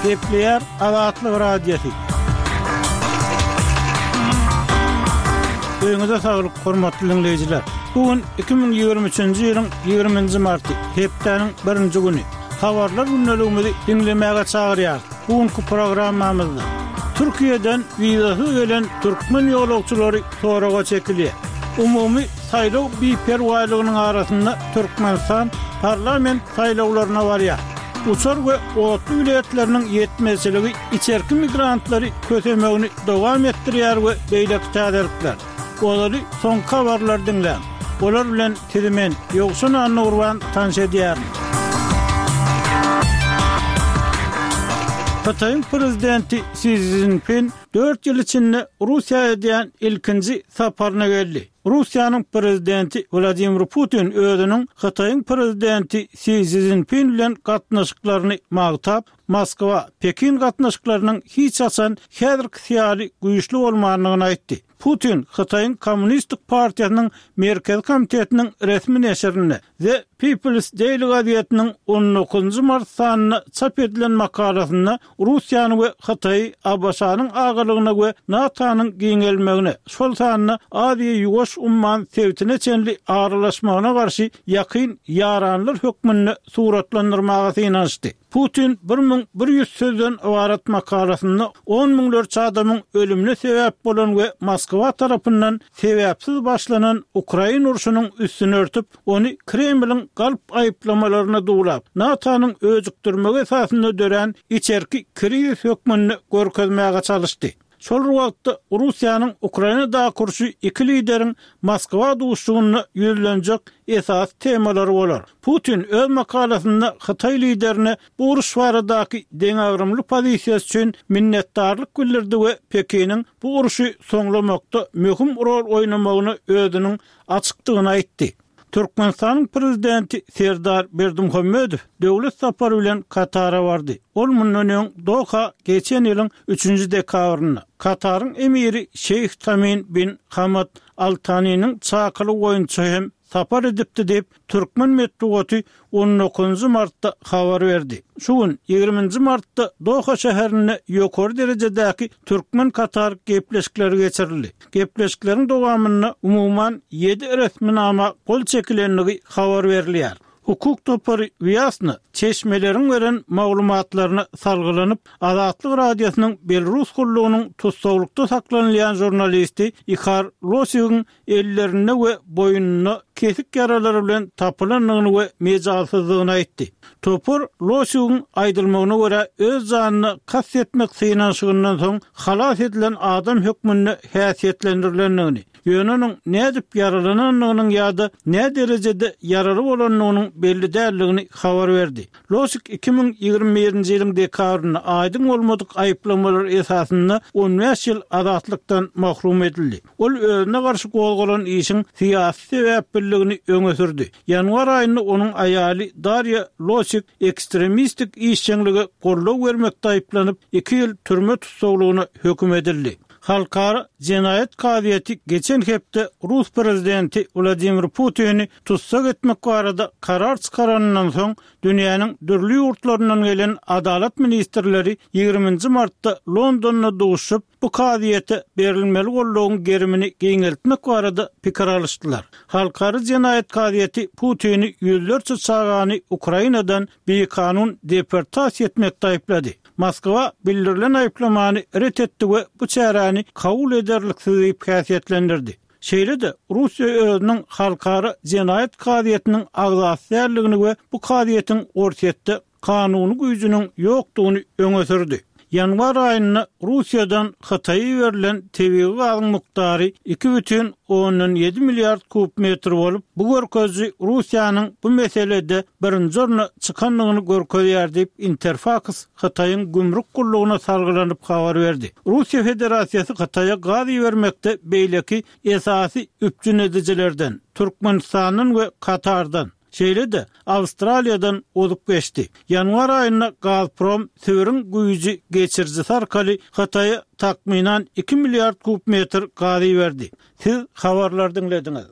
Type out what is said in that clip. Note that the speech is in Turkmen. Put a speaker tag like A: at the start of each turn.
A: Gepleýär Azatlyk Radiosy. Öýüňize saglyk, hormatly diňleýjiler! Bu gün 2023-nji ýylyň 20-nji marty, hepdäniň birinji güni. Habarlar gündeligimizi diňlemäge çagyrýarys. Bu günki programmamyzda Türkiýeden wizasyz gelen türkmen ýolagçylary soraga çekilýär. Umumy saýlaw biperwaýlygynyň arasynda Türkmenistan parlament saýlawlaryna barýar. Uçar we otly biletleriniň ýetmezçiligi içerki migrantlary kösemegini dowam etdirýär we beýleki täzelikler. Ozaly soňky habarlary diňläň. Olar bilen sizi men, Ýowşan Annagurban tanyş edýärin. Hytaýyň prezidenti Si Szinpin dört ýyl içinde Russiýa edýän ilkinji saparyna geldi. Russiýanyň prezidenti Wladimir Putin özüniň Hytaýyň prezidenti Si Szinpin bilen gatnaşyklaryny magtap, Moskwa, Pekin gatnaşyklarynyň hiç haçan häzirkisi ýaly güýçli bolmandygyny aýtdy. Putin Hytaýyň Kommunistik partiýasynyň Merkezi komitetiniň resmi neşirinde, The People's Daily gazetiniň on dokuzynjy mart sanynda çap edilen makalasynda Russiýany we Hytaýy ABŞ-nyň agalygyna we NATO-nyň giňelmegine, şol sanda Aziýa-Ýuwaş umman sebitine çenli aralaşmagyna garşy ýakyn ýaranlar hökmünde suratlandyrmaga synanyşdy. Putin 1100 sözden ybarat makalasynda on müňlerçe adamyň ölümine sebäp bolan we Moskwa tarapyndan sebäpsiz başlanan Ukrain urşunyň üstüni örtüp, ony Kremliň galp aýyplamalaryna duwlap, NATO-nyň öjükdirmegi esasynda dörän içerki krizis hökmünde görkezmäge çalyşdy. Şol bir wagtda, Russiýanyň Ukrainadaky urşy iki lideriň Moskwa duşuşygynda ýüzlenjek esasy temalary bolar. Putin öz makalasynda hytaý liderine bu uruş baradaky deňagramly pozisiýasy üçin minnetdarlyk bildirdi we Pekiniň bu urşy soňlamakda möhüm rol oýnamagyna özüniň açykdygyny aýtdy. Türkmenistanyň Prezidenti Serdar Berdimuhamedow döwlet sapary bilen Katara bardy. Ol mundan öň Doha geçen ýylyň üçünji dekabrynda, Kataryň Emiri Şeýh Tamim bin Hamad Al Taniniň çakylygy boýunça hem sapar edipdi diýip, türkmen metbugaty on dokuzynjy martda habar berdi. Şu gün, ýigriminji martda Doha şäherinde ýokary derejedäki türkmen-katar gepleşikleri geçirildi. Gepleşikleriň dowamynda umuman ýedi resminama gol çekilendigi habar berilýär. Hukuk topary Wýasna çeşmeleriň beren maglumatlaryna salgylanyp, Azatlyk Radiosynyň Belarus gullugynyň tussaglykda saklanylýan žurnalisti Ihar Losigiň ellerinde we boýnunda kesik ýaralary bilen tapylandygyny we mejalsyzdygyny aýtdy. Topar Losigiň aýdylmagyna görä, öz janyna kast etmek synanyşygyndan soň halas edilen adam hökmünde häsiýetlendirilendigini, ýöne onuň nädip ýaralanandygynyň ýa-da näderejede ýaraly bolandygynyň belli däldigini habar berdi. Losik 2021-nji ýylyň dekabrynda aýdyň bolmadyk aýyplamalar esasynda on bäş ýyl azatlykdan mahrum edildi. Ol özüne garşy gozgalan işiň syýasy sebäpliligini öňe sürdi. Ýanwar aýynda onuň aýaly Darýa Losik ekstremistik işjeňlige goldaw bermekde aýyplanyp, iki ýyl türme tussaglygyna höküm edildi. Halkara jenaýat kazyýeti geçen hepde rus prezidenti Wladimir Putini tussag etmek barada karar çykaranyndan soň, dünýäniň dürli ýurtlaryndan gelen adalat ministrleri ýigriminji martda Londonda duşuşyp, bu kazyýete berilmeli goldawyň gerimini giňeltmek barada pikir alyşdylar. Halkara jenaýat kazyýeti Putini ýüzlerçe çagany Ukrainadan bikanun deportasiýa etmekde aýyplady. Moskwa bildirilen aýyplamany ret etdi we bu çäräni kabul ederliksiz diýip häsiýetlendirdi. Şeýle-de, Russiýa özüniň Halkara jenaýat kazyýetiniň agzasy däldigini we bu kazyýetiň Orsýetde kanuny güýjüniň ýokdugyny öňe sürdi. Ýanwar aýynda Russiýadan Hytaýa iberilen tebigy gazyň mukdary 2,7 milliard kub metr bolup, bu görkeziji Russiýanyň bu meselede birinji orna çykandygyny görkezýär diýip, Interfaks Hytaýyň gümrük gullugyna salgylanyp habar berdi. Russiýa Federasiýasy Hytaýa gaz ibermekde beýleki esasy üpjün edijilerden, Türkmenistandan we Katardan, şeýle-de Awstraliýadan ozup geçdi. Ýanwar aýynda Gazprom Sibiriň güýji geçirijisi arkaly Hytaýa takmynan iki milliard kub metr gaz iberdi. Siz habarlary diňlediňiz.